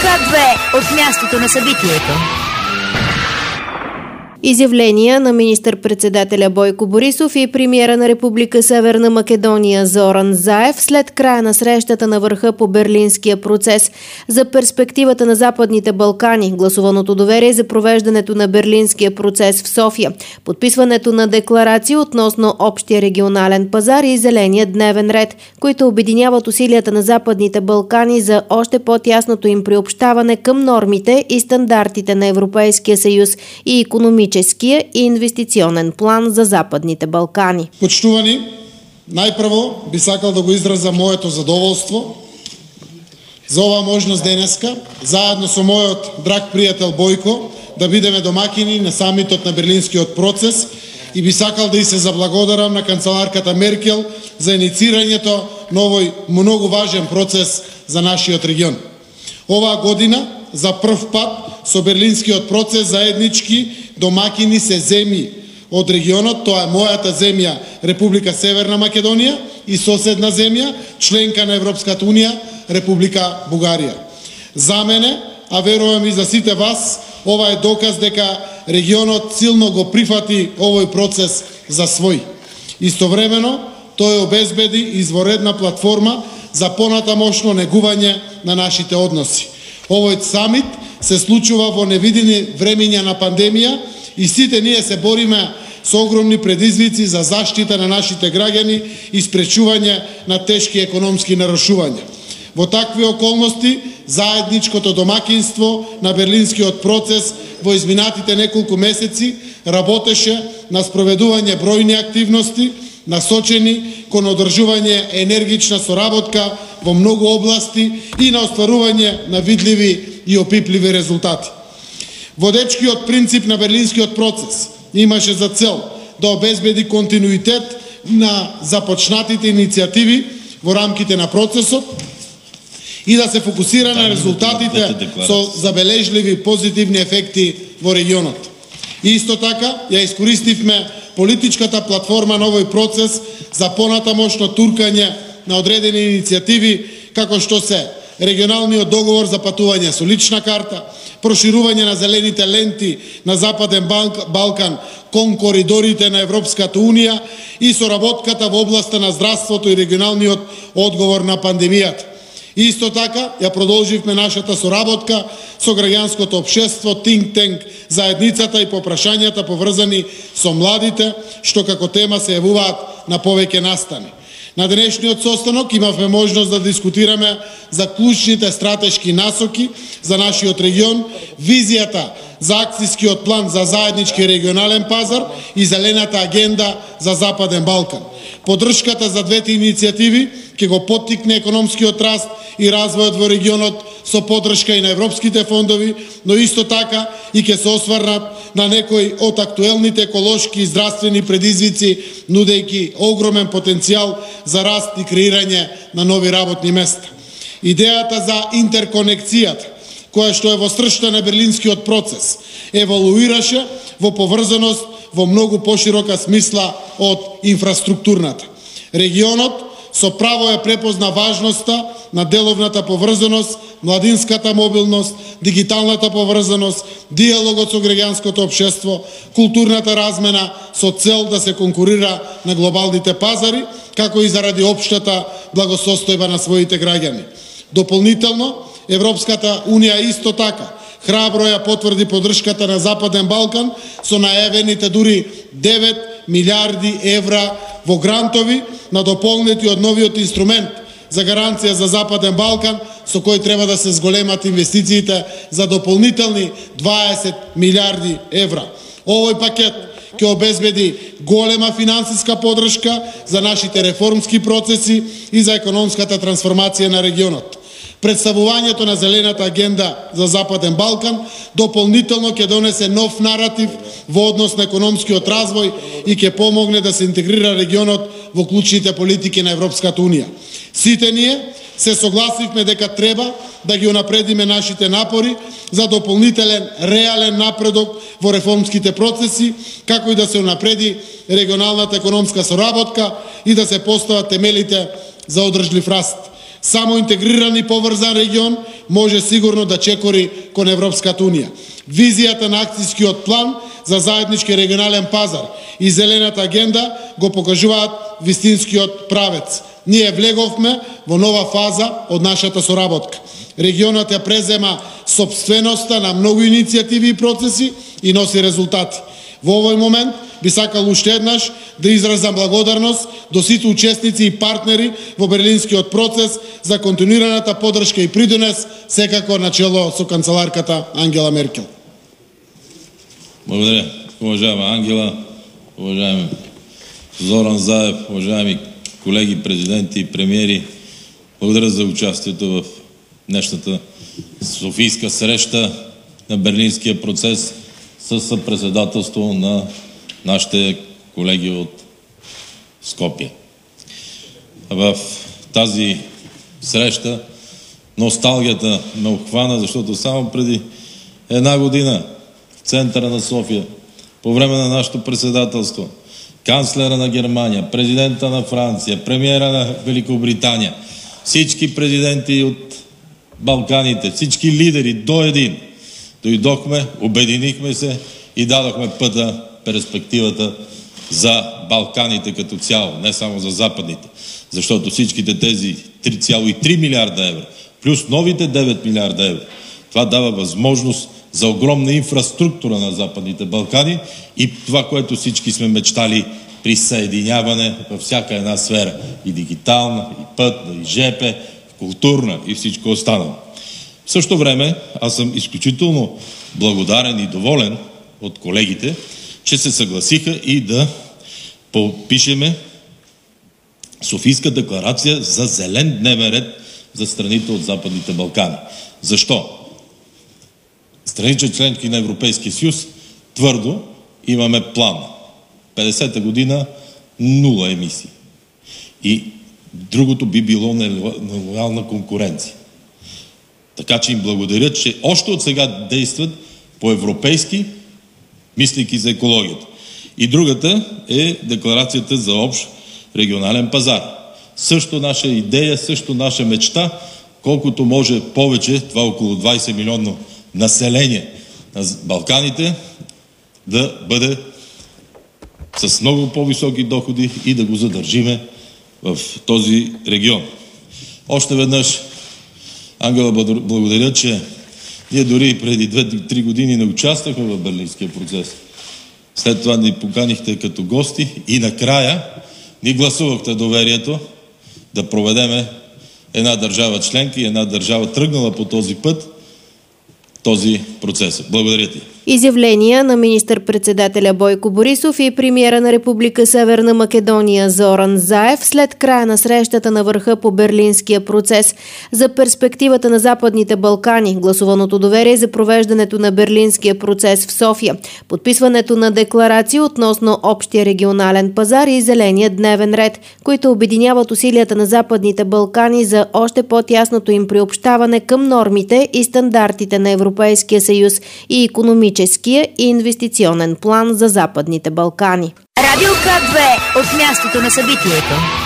Точка 2 от мястото на събитието. Изявления на министър-председателя Бойко Борисов и премиера на Република Северна Македония Зоран Заев след края на срещата на върха по Берлинския процес за перспективата на Западните Балкани, гласуваното доверие за провеждането на Берлинския процес в София, подписването на декларации относно общия регионален пазар и зеления дневен ред, които обединяват усилията на Западните Балкани за още по-тясното им приобщаване към нормите и стандартите на Европейския съюз и икономическия и инвестиционен план за Западните Балкани. Почитувани, најпрво би сакал да го израза моето задоволство за оваа можност денеска, заедно со мојот драг пријател Бојко, да бидеме домакини на самитот на Берлинскиот процес и би сакал да и се заблагодарам на канцеларката Меркел за инициирањето на овој многу важен процес за нашиот регион. Оваа година за прв пат со Берлинскиот процес заеднички домакини се земји од регионот, тоа е мојата земја Република Северна Македонија и соседна земја, членка на Европската Унија, Република Бугарија. За мене, а верувам и за сите вас, ова е доказ дека регионот силно го прифати овој процес за свој. Истовремено, тој обезбеди изворедна платформа за понатамошно негување на нашите односи. Овој самит се случува во невидени времиња на пандемија и сите ние се бориме со огромни предизвици за заштита на нашите граѓани и спречување на тешки економски нарушувања. Во такви околности, заедничкото домакинство на Берлинскиот процес во изминатите неколку месеци работеше на спроведување бројни активности, насочени кон одржување енергична соработка во многу области и на остварување на видливи и опипливи резултати. Водечкиот принцип на Берлинскиот процес имаше за цел да обезбеди континуитет на започнатите иницијативи во рамките на процесот и да се фокусира на резултатите со забележливи позитивни ефекти во регионот. И исто така ја искористивме политичката платформа на овој процес за понатамошно туркање на одредени иницијативи како што се регионалниот договор за патување со лична карта, проширување на зелените ленти на Западен Балкан кон коридорите на Европската Унија и соработката во областа на здравството и регионалниот одговор на пандемијата. Исто така, ја продолживме нашата соработка со граѓанското општество, think tank, заедницата и попрашањата поврзани со младите, што како тема се јавуваат на повеќе настани. На денешниот состанок имавме можност да дискутираме за клучните стратешки насоки за нашиот регион, визијата за акцијскиот план за заеднички регионален пазар и зелената агенда за Западен Балкан. Поддршката за двете иницијативи ќе го поттикне економскиот раст и развојот во регионот со поддршка и на европските фондови, но исто така и ќе се осврнат на некои од актуелните еколошки и здравствени предизвици, нудејќи огромен потенцијал за раст и креирање на нови работни места. Идејата за интерконекцијата, која што е во срцето на Берлинскиот процес, еволуираше во поврзаност во многу поширока смисла од инфраструктурната. Регионот со право ја препозна важноста на деловната поврзаност, младинската мобилност, дигиталната поврзаност, диалогот со граѓанското општество, културната размена со цел да се конкурира на глобалните пазари, како и заради општата благосостојба на своите граѓани. Дополнително, Европската Унија исто така храбро ја потврди поддршката на Западен Балкан со најавените дури 9 милиарди евра во грантови на дополнети од новиот инструмент за гаранција за Западен Балкан, со кој треба да се зголемат инвестициите за дополнителни 20 милиарди евра. Овој пакет ќе обезбеди голема финансиска поддршка за нашите реформски процеси и за економската трансформација на регионот. Представувањето на зелената агенда за Западен Балкан дополнително ќе донесе нов наратив во однос на економскиот развој и ќе помогне да се интегрира регионот во клучните политики на Европската Унија. Сите ние се согласивме дека треба да ги унапредиме нашите напори за дополнителен реален напредок во реформските процеси, како и да се унапреди регионалната економска соработка и да се постават темелите за одржлив раст. Само интегриран и поврзан регион може сигурно да чекори кон Европската унија. Визијата на акцијскиот план за заеднички регионален пазар и зелената агенда го покажуваат вистинскиот правец. Ние влеговме во нова фаза од нашата соработка. Регионот ја презема сопственоста на многу иницијативи и процеси и носи резултати. Во овој момент би сакал уште еднаш да изразам благодарност до сите учесници и партнери во Берлинскиот процес за континуираната поддршка и придонес, секако начело со канцеларката Ангела Меркел. Благодаря, уважаема Ангела, уважаеми Зоран Заев, уважаеми колеги президенти и премиери. Благодаря за участието в днешната софийска среща на Берлинския процес с съпредседателство на нашите колеги от Скопие. В тази среща носталгията ме обхвана, защото само преди една година в центъра на София, по време на нашето председателство, канцлера на Германия, президента на Франция, премиера на Великобритания, всички президенти от Балканите, всички лидери до един, дойдохме, обединихме се и дадохме пътя, перспективата за Балканите като цяло, не само за западните. Защото всичките тези 3,3 милиарда евро, плюс новите 9 милиарда евро, това дава възможност за огромна инфраструктура на Западните Балкани и това, което всички сме мечтали, присъединяване във всяка една сфера. И дигитална, и пътна, и ЖП, културна и всичко останало. В същото време аз съм изключително благодарен и доволен от колегите, че се съгласиха и да подпишеме Софийска декларация за зелен дневен ред за страните от Западните Балкани. Защо? Страните членки на Европейския съюз твърдо имаме план. 50-та година 0 емисии. И другото би било нелоялна конкуренция. Така че им благодаря, че още от сега действат по-европейски, мислейки за екологията. И другата е декларацията за общ регионален пазар. Също наша идея, също наша мечта, колкото може повече, това около 20 милионно население на Балканите, да бъде с много по-високи доходи и да го задържиме в този регион. Още веднъж, Ангела, благодаря, че ние дори преди 2-3 години не участвахме в Берлинския процес. След това ни поканихте като гости и накрая ни гласувахте доверието да проведеме една държава членка и една държава тръгнала по този път, този процес. Благодаря ти. Изявления на министър-председателя Бойко Борисов и премиера на Република Северна Македония Зоран Заев след края на срещата на върха по Берлинския процес за перспективата на Западните Балкани, гласуваното доверие за провеждането на Берлинския процес в София, подписването на декларация относно общия регионален пазар и зеления дневен ред, които обединяват усилията на Западните Балкани за още по-тясното им приобщаване към нормите и стандартите на Европейския съюз и икономическия и инвестиционен план за Западните Балкани. Радио К2 от мястото на събитието.